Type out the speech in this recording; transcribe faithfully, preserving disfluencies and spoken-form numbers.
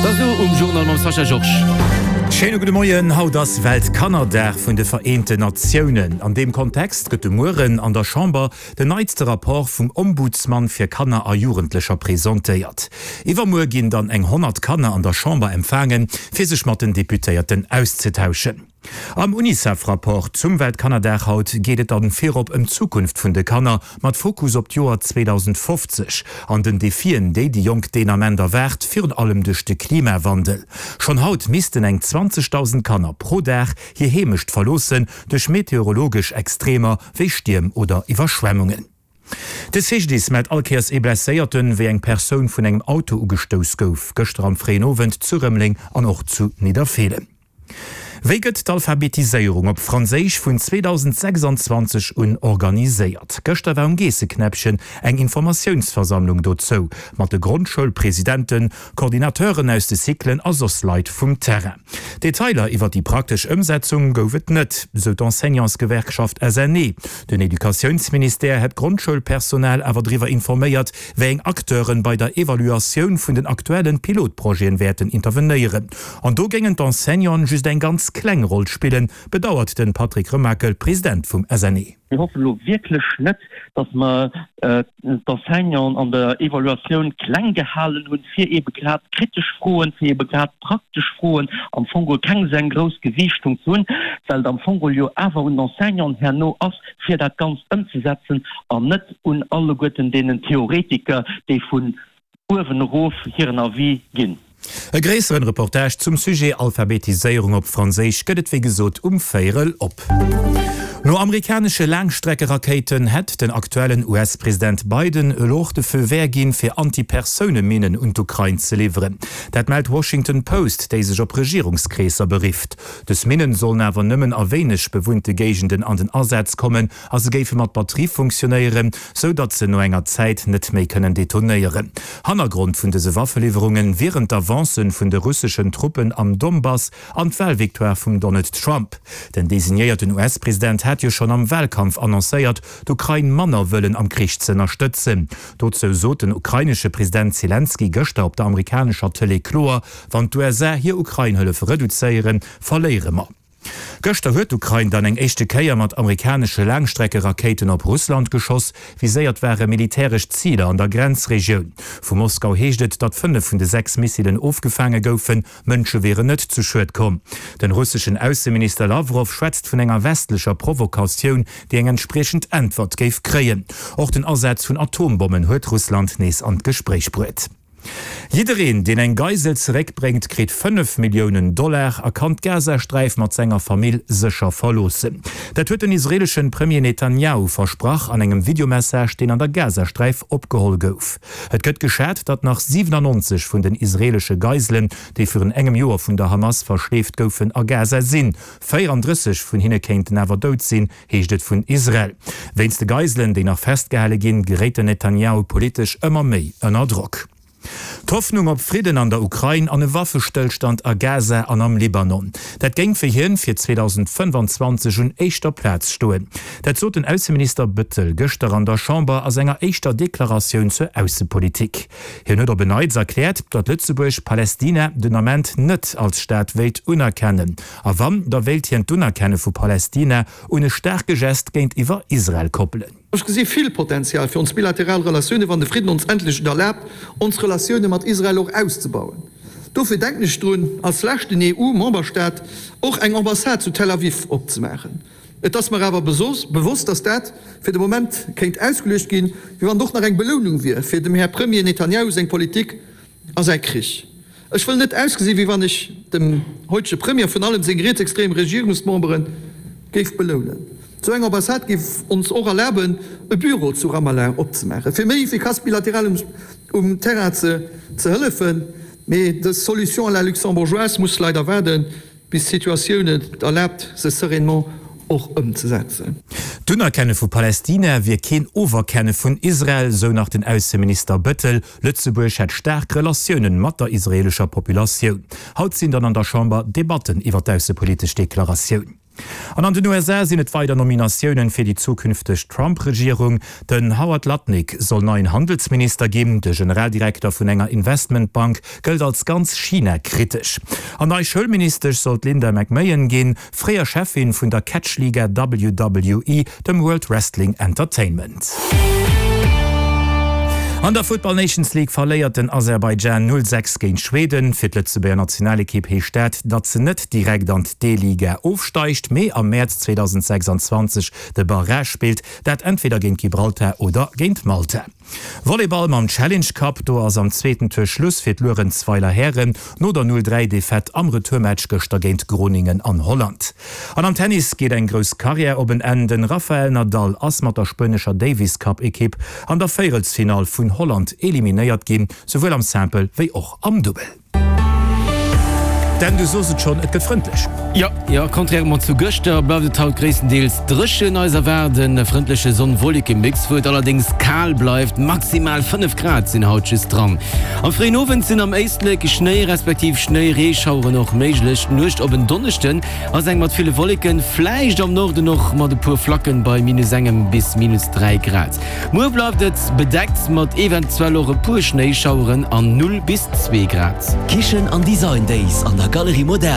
Da sou um Journal mam Sascha Georges. Schéine gudde Moien, Haut ass Weltkannerdag vun de Vereenten Natiounen. An deem Kontext gëtt de Mueren an der Chamber den neitste Rapport vum Ombudsman fir Kanner a Jugendlecher presentéiert. Iwwermuer ginn dann eng honnert Kanner an der Chamber empfaangen, fir sech mat den Deputéierten auszetauschen. Am Unicef-Rapport zum Weltkannerdag haut geet et dann virop ëm d'Zukunft vun de Kanner, mat Fokus op d'Joer zweedausendfofzeg an den Defien, déi déi Jonk deen Ament erwaart, virun allem duerch de Klimawandel. Schonn haut missten eng zwanzegdausend Kanner pro Dag hir Heemecht verloossen, duerch meteorologesch Extremer wéi Stierm oder Iwwerschwemmungen. De C G D I S mellt all Kéiers ee Blesséierten, wéi eng Persoun vun engem Auto ugestouss gouf, gëschter am fréien Owend zu Rëmeleng an och zu Nidderfeelen. Wéi gëtt d'Alphabetiséierung op Franséisch vun zweedausendsechsanzwanzeg un organiséiert? Gëschter war um Geesseknäppchen eng Informatiounsversammlung dozou, mat de Grondschoulpresidenten, Coordinateuren aus de Cyclen a soss Leit vum Terrain. Detailer iwwer déi praktesch Ëmsetzung gouf et net, sou d'Enseignantsgewerkschaft S N E. Den Educatiounsministère hätt d'Grondschoulpersonal awer driwwer informéiert, wéi eng Acteure bei der Evaluatioun vun den aktuellen Pilotprojeten wäerten intervenéieren. An do géingen d'Enseignanten just eng ganz kleng Roll spillen, bedauert den Patrick Remakel, President vum S N E. Mir hoffen elo wierklech net, dass mer d'Enseignanten an der Evaluatioun kleng gehalen hunn, fir eebe grad kritesch Froen, fir eebe grad praktesch Froen am Fong geholl keng esou eng grouss Gewiichtung ze hunn, well et am Fong geholl jo awer un den Enseignanten herno ass, fir dat Ganzt ëmzesetzen an net un alleguerten deenen Theoretiker, déi vun uewen erof hiren Avis ginn. E gréisseren Reportage zum Sujet Alphabetiséierung op Franséisch gëtt et wéi gesot um Véierel op. No amerikanesche Laangstreckerakéiten hätt den aktuellen U S-President Biden elo och de Feu vert ginn, fir Antipersouneminnen un d'Ukrain ze liwweren. Dat mellt d'Washington Post, déi sech op Regierungskreesser berifft. Dës Minnen sollen awer nëmmen a wéineg bewunnte Géigenden an den Asaz kommen a se géife mat Batterie funktionéieren, sou datt se no enger Zäit net méi kënnen detonéieren. Hannergrond vun dëse Waffeliwwerunge wieren d'Avancen vun de russeschen Truppen am Donbass an d'Walvictoire vum Donald Trump. Den designéierten U S-President hat jo schonn am Walkampf annoncéiert, d'Ukrain manner wëllen am Krich ze ënnerstëtzen. Dozou sot den ukrainesche President Selenskyj gëschter op der amerikanescher Tëlee kloer, Wann d'U S A hir Ukrain-Hëllef reduzéieren, verléiere mer. Gëschter huet d'Ukrain dann eng éischte Kéier mat amerikanesche Laangstreckerakéiten op Russland geschoss. Viséiert ware militäresch Ziler an der Grenzregioun. Vu Moskau heescht et, datt fënnef vun de sechs Missilen ofgefaange goufen, Mënsche wieren net zu Schued komm. Den russeschen Ausseminister Lawrow schwätzt vun enger westlecher Provokatioun, déi eng entspriechend Äntwert géif kréien. Och den Asaz vun Atombommen huet Russland nees an d'Gespréich bruet. Jiddereen, deen eng Geisel zeréckbréngt, kritt fënnef Milliounen Dollar a kann d'Gazasträif mat senger Famill sécher verloossen. Dat huet den israeeleschen Premier Netanjahu versprach an engem Videomessage, deen an der Gazasträif opgeholl gouf. Et gëtt geschat, datt nach siwenannonzeg vun den israeelesche Geiselen, déi virun engem Joer vun der Hamas verschleeft goufen, a Gaza sinn. Véierandrësseg vun hinne kéinten awer dout sinn, heescht et vun Israel. Wéinst de Geiselen, déi nach festgehale ginn, geréit den Netanjahu politesch ëmmer méi ënner Drock. D'Hoffnung op Fridden an der Ukrain an e Waffestëllstand a Gaza an am Libanon, dat géing fir hien fir zweedausendfënnefanzwanzeg un éischter Plaz stoen. Dat sot den Ausseminister Bettel gëschter an der Chamber a senger éischter Deklaratioun zur Aussepolitik. Hien huet op en Neits erkläert, datt Lëtzebuerg Palästina den Ament net als Staat wéilt unerkennen. A wann, da wéilt hien d'Unerkenne vu Palästina un e staarke Gest géintiwwer Israel koppelen. Ech gesi vill Potenzial fir ons bilateral Relatioune wann de Fridden ons endlech et erlaabt, ons Relatioune mat Israel och auszebauen. Dofir denken ech drun, als leschten E U-Memberstaat och eng Ambassade zu Tel Aviv opzemaachen. Et ass mer awer bewosst, datt dat fir de Moment kéint ausgeluecht ginn, wéi wann et och nach eng Belounung wier fir dem Här Premier Netanjahu seng Politik a säi Krich. Ech wëll net ausgesi wéi wann ech dem heutege Premier, virun allem seng rietsextrem Regierungsmemberen, géif belounen. Sou eng Ambassade géif ons och erlaben, e Büro zu Ramallah opzemaachen, fir méi efficace bilateral um Terrain ze hëllefen. Mee dës Solution à la luxembourgeoise muss leider waarden, bis d'Situatioun et erlaabt, se sereinement och ëmzesetzen. D'Unerkenne vu Palästina wier keen Oferkenne vun Israel, sou nach den Ausseminister Bettel. Lëtzebuerg hätt staark Relatiounen mat der israeelescher Populatioun. Haut sinn dann an der Chamber Debatten iwwer d'aussepolitesch Deklaratioun. An an den U S A sinn et weider Nominatiounen fir déi zukünfteg Trump-Regierung. Den Howard Lutnick soll neien Handelsminister ginn. De Generaldirekter vun enger Investmentbank gëllt als ganz China-kritesch. An nei Schoulministesch soll d'Linda McMahon ginn, fréier Cheffin vun der Catch-Liga W W E, dem World Wrestling Entertainment. An der Football Nations League verléiert den Aserbaidschan null sechs géint Schweden. Fir d'Lëtzebuerger Nationalekipp heescht dat, datt se net direkt an d'D-Liga ofsteigt, mee am Mäerz zweedausendsechsanzwanzeg de Barrage spillt, dat entweder géint Gibraltar oder géint Malta. Volleyball mam Challenge Cup, do ass am zweeten Tour Schluss fir d'Luerenzweiler Hären no der null dräi Defaite am Retourmatch gëschter géint Groningen an Holland. An am Tennis geet eng grouss Karriär op en Enn, De Rafael Nadal ass mat der spuenescher Davis Cup Ekipp an der Véierelsfinall vun Holland eliminéiert ginn, souwuel am Simple wéi och am Dubbel. Dan, du sos et schonn, et gëtt frëndlech. Jo, jo, contrairement zu gëschter bleift et haut gréisstendeels dréchen. Eis erwaart e frëndleche Sonn-Wolleke-Mix, wou et allerdéngs kal bleift, maximal fënnef Grad sinn haut just dran. Am fréien Owend sinn am Éislek Schnéi respektiv Schnéireeschaueren och méiglech. D'Nuecht op en Donneschden ass eng mat ville Wolleken, vläicht am Norden och mat e puer Flacken, bei minus engem bis minus dräi Grad. Muer bleift et bedeckt mat eventuell och e puer Schnéischaueren an null bis zwee Grad. Kichen an Design Days an der Galerie Moderne.